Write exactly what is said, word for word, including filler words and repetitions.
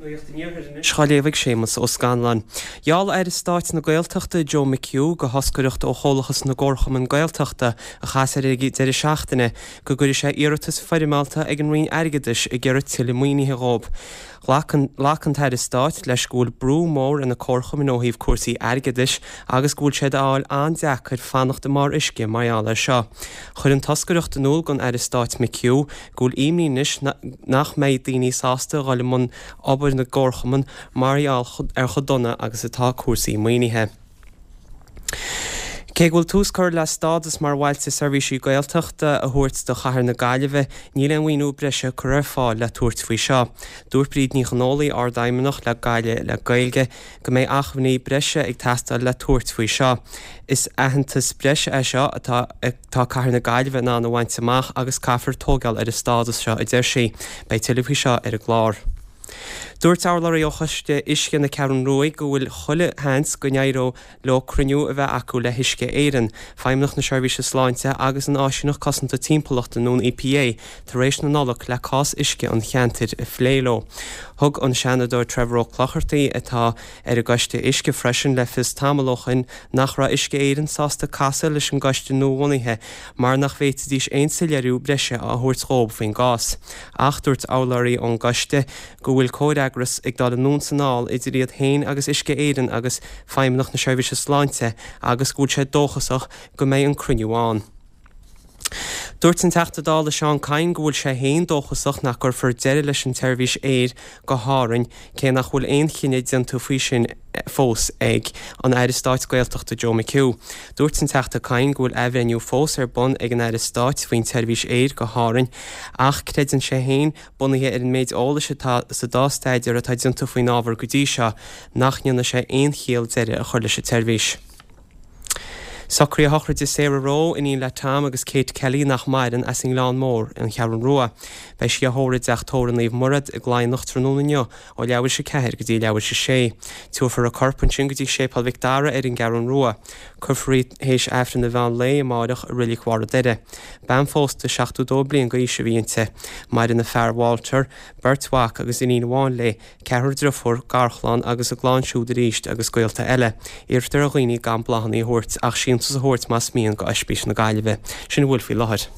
Nuacht an Iarthair anois á léamh ag Séamus Ó Scanláin. Gheall Aire Stáit na Gaeltachta Joe McHugh do thoscaireacht ó Chomhlachas na gComharchumann Gaeltachta a chas air ag deireadh seachtaine go gcuirfidh sé iarratas foirmeálta ag an Roinn Airgeadais ag iarraidh tuilleadh maoinithe dhóibh. Ghlac an tAire Stáit leis go bhfuil brú mór ar na comharchumainn ó thaobh cúrsaí airgeadais agus go bhfuil sé á fháil an-deacair fanacht i mbarr uisce mar gheall air seo. Chuir an toscaireacht in iúl don Aire Stáit McHugh go bhfuil imní anois nach mbeidh daoine sásta dhul i mbun obair na gcomharchumann mar gheall ar chomh dona agus atá cúrsaí maoinithe. Cé go bhfuil tús curtha le stádas mar bhailte seirbhísí Gaeltachta a thabhairt do chathair na Gaillimhe, níl aon mhaoiniú breise curtha ar fáil le tabhairt faoi seo. Dúirt Bríd Ní Chonólaigh, Ardfheidhmeannach le Gaillimh le Gaeilge, go mbeidh acmhainní breise ag teastáil le tabhairt faoi seo. Is aitheantas breise é seo atá atá cathair na Gaillimhe in ann a bhaint amach agus caithfear tógáil ar an stádas seo, a deir sí. Beidh tuilleadh faoi seo ar an gclár. Dúirt urlabhraí ó Choiste Uisce na Ceathrún Rua go bhfuil chuile sheans go n-éireoidh leo cruinniú a bheith acu le hUisce Éireann, Feidhmeannacht na Seirbhíse Sláinte agus an Áisíneacht Cosanta Timpeallachta nó an EPA tar éis na Nollag le cás uisce an cheantair a phlé leo. Thug an Seanadóir Trevor Ó Clochartaigh atá ar an gCoiste Uisce freisin le fios tamall ó shin nach raibh Uisce Éireann sásta casadh leis an gcoiste nuabhunaithe mar nach bhféadfaidís aon soiléiriú breise a thabhairt dhóibh faoin gcás. Ach dúirt urlabhraí ón gcoiste go bhfuil comhfhreagras ag dul anonn is anall idir iad féin agus Uisce Éireann agus Feidhmeannacht na Seirbhíse Sláinte agus go bhfuil sé dóchasach go mbeidh an cruinniú ann. Dúirt an Teachta Dála Seán Kyne go bhfuil sé féin dóchasach nach gcuirfear deireadh leis an tseirbhís aeir go hÁrainn cé nach bhfuil aon chinneadh déanta faoi sin fós ag an Aire Stáit Gaeltachta Joe McHugh. Dúirt an Teachta Kyne go bhfuil athbhreithniú fós ar bun ag an Aire Stáit faoin tseirbhís aeir go hÁrainn ach creideann sé féin, bunaithe ar an méid eolais atá sa dá staidéar atá déanta faoin ábhar go dtí seo, nach ndéanfaidh sé aon chiall deireadh a chur leis an tseirbhís. Socruithe sochraide Sarah Rowe, iníon le Tom agus Kate Kelly nach maireann, as an nGleann Mór, An Cheathrún Rua. Beidh sí á thórramh i dTeach Tórraimh Naomh Murad i gCladhnach tráthnóna inniu ó leathuair tar éis a ceathair go dtí leathuair tar éis a sé. Tabharfar a corp ansin go dtí Séipéal Mhic Dara ar an gCeathrún Rua. Cuirfear í théis Aifreann an mheán lae amáireach i Reilig Bharr an Doire. Bean phósta seachtó dó bliain d'aois a bhí inti. Maireann a fear Walter, beirt mhac agus iníon amháin léi, ceathrar driofúr, garchlann agus a gclann siúd arís agus gaolta eile. Iarrtar ar dhaoine gan bláthanna a thabhairt ach síntiús a thabhairt más mian go Oispís na Gaillimhe. Sin a bhfuil faoi láthair.